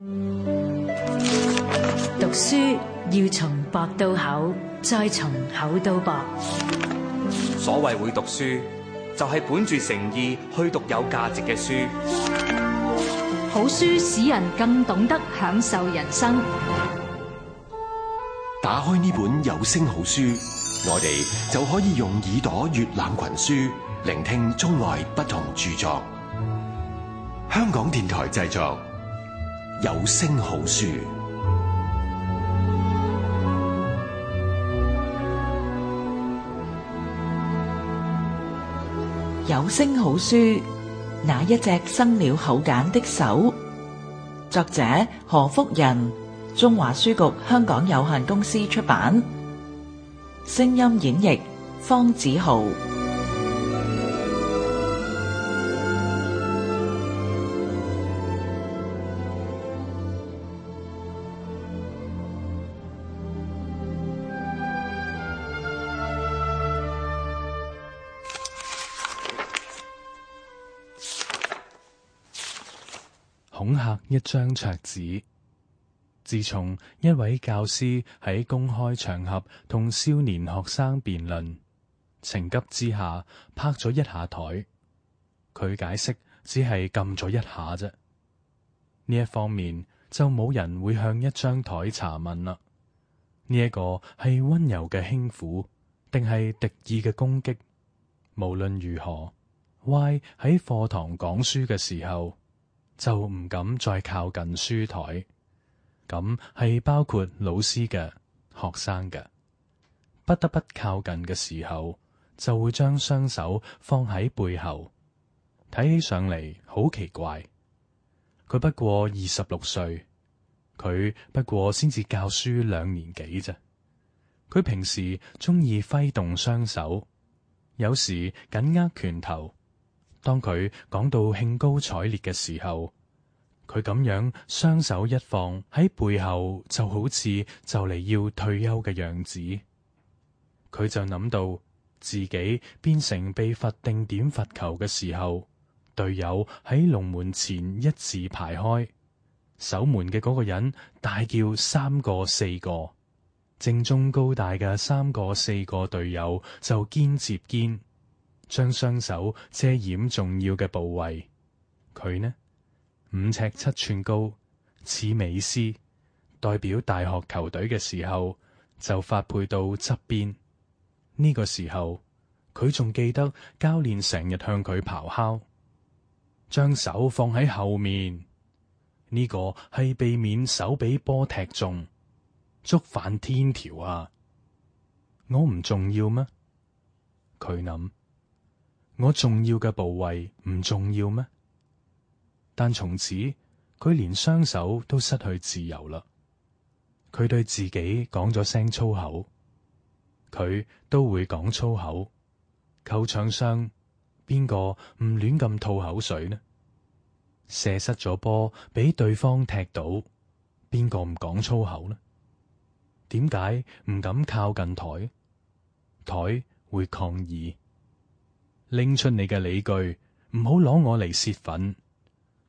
讀書要從薄到厚，再從厚到薄。所謂會讀書，就係本住誠意去讀有價值嘅書。好書使人更懂得享受人生。打開呢本有聲好書，我哋就可以用耳朵閱覽群書，聆聽中外不同著作。香港電台製作，有聲好書。有聲好書，那一隻生了口繭的手。作者何福仁，中華書局香港有限公司出版。聲音演繹方子豪。恐嚇一張桌子。自從一位教師喺公開場合同少年學生辯論，情急之下拍咗一下台，佢解釋只係撳咗一下啫。呢一方面就冇人會向一張台查問啦。呢一個係溫柔嘅輕撫，定係敵意嘅攻擊？無論如何，Y 喺課堂講書嘅時候，就唔敢再靠近書台，咁係包括老師嘅、學生嘅。不得不靠近嘅時候，就會將雙手放喺背後，睇起上嚟好奇怪。佢不過26歲，佢不過先至教書2年幾啫。佢平時鍾意揮動雙手，有時緊握拳頭。當佢講到興高采烈嘅時候，佢咁樣雙手一放喺背後，就好似就嚟要退休嘅樣子。佢就諗到自己變成被罰定點罰球嘅時候，隊友喺龍門前一字排開，守門嘅嗰個人大叫3個4個，正中高大嘅3個4個隊友就肩接肩，將雙手遮掩重要嘅部位。佢呢，5尺7寸高，似美斯，代表大學球隊嘅時候就發配到側邊。呢個時候佢仲記得教練成日向佢咆哮，將手放喺後面。呢個係避免手俾波踢中，觸犯天條啊！我唔重要咩？佢諗。我重要嘅部位唔重要咩？但從此佢連雙手都失去自由啦。佢對自己講咗聲粗口，佢都會講粗口。球場上邊個唔亂咁吐口水呢？射失咗波俾對方踢到，邊個唔講粗口呢？點解唔敢靠近台？台會抗議。拎出你嘅理據，唔好攞我嚟洩憤。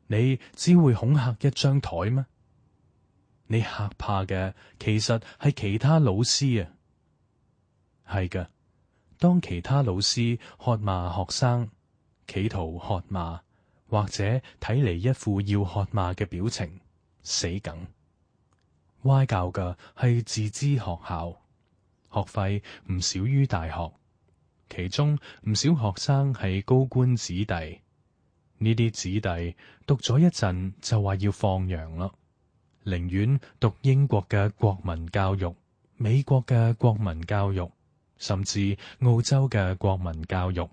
你只會恐嚇一張台咩？你嚇怕嘅其實係其他老師啊。係嘅，當其他老師喝罵學生，企圖喝罵，或者睇嚟一副要喝罵嘅表情，死梗。Y 教嘅係自資學校，學費唔少於大學。其中唔少學生係高官子弟，呢啲子弟讀咗一陣就話要放羊啦，寧願讀英國嘅國民教育、美國嘅國民教育，甚至澳洲嘅國民教育。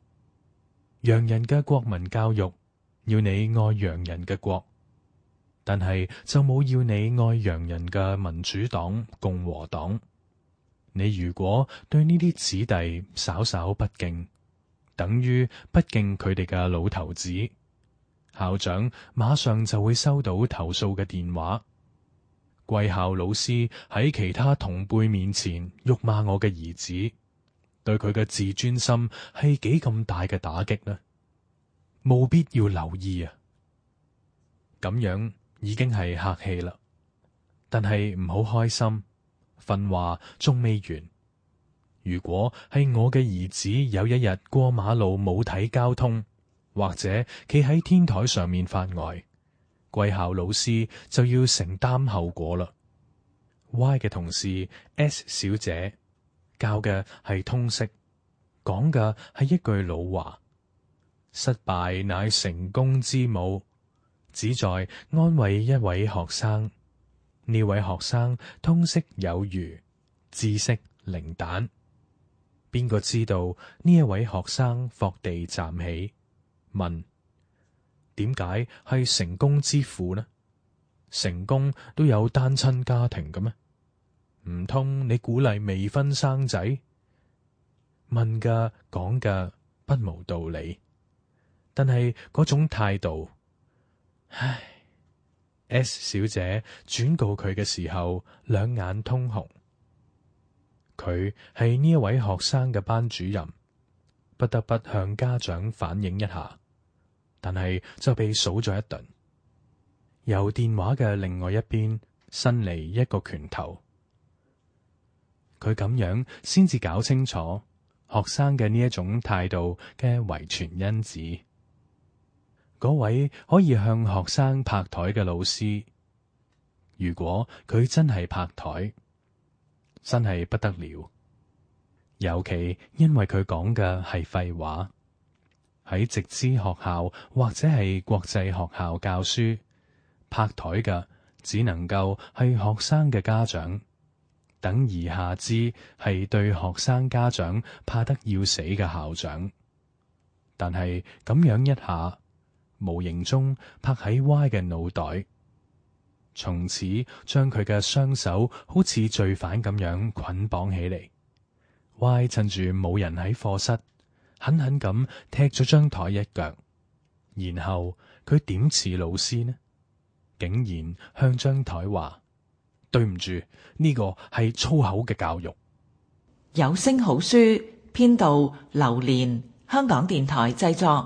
洋人嘅國民教育要你愛洋人嘅國，但係就冇要你愛洋人嘅民主黨、共和黨。你如果對呢啲子弟稍稍不敬，等於不敬佢哋嘅老頭子，校長馬上就會收到投訴嘅電話。貴校老師喺其他同輩面前辱罵我嘅兒子，對佢嘅自尊心係幾咁大嘅打擊呢？務必要留意啊！咁樣已經係客氣啦，但係唔好開心，訓話仲未完。如果係我嘅兒子有一日過馬路冇睇交通，或者企喺天台上面發呆，貴校老師就要承擔後果啦。Y 嘅同事 S 小姐教嘅係通識，講嘅係一句老話：失敗乃成功之母，旨在安慰一位學生。呢位學生通識有餘，知識零蛋。邊個知道呢一位學生伏地站起，問：點解係成功之父呢？成功都有單親家庭嘅咩？唔通你鼓勵未婚生仔？問嘅講嘅不無道理，但係嗰種態度，唉。S 小姐轉告佢嘅時候，兩眼通紅。佢係呢一位學生嘅班主任，不得不向家長反映一下，但係就被數咗一頓。由電話嘅另外一邊伸嚟一個拳頭，佢咁樣先至搞清楚學生嘅呢一種態度嘅遺傳因子。嗰位可以向學生拍台嘅老師，如果佢真係拍台，真係不得了。尤其因為佢講嘅係廢話，喺直資學校或者係國際學校教書，拍台嘅只能夠係學生嘅家長，等而下之係對學生家長怕得要死嘅校長。但係咁樣一下，無形中拍喺 Y 嘅腦袋，從此將佢嘅雙手好似罪犯咁樣捆綁起嚟。Y 趁住冇人喺課室，狠狠咁踢咗張台一腳，然後佢點似老師呢？竟然向張台話：對唔住，呢個係粗口嘅教育。有聲好書編導劉蓮，香港電台製作。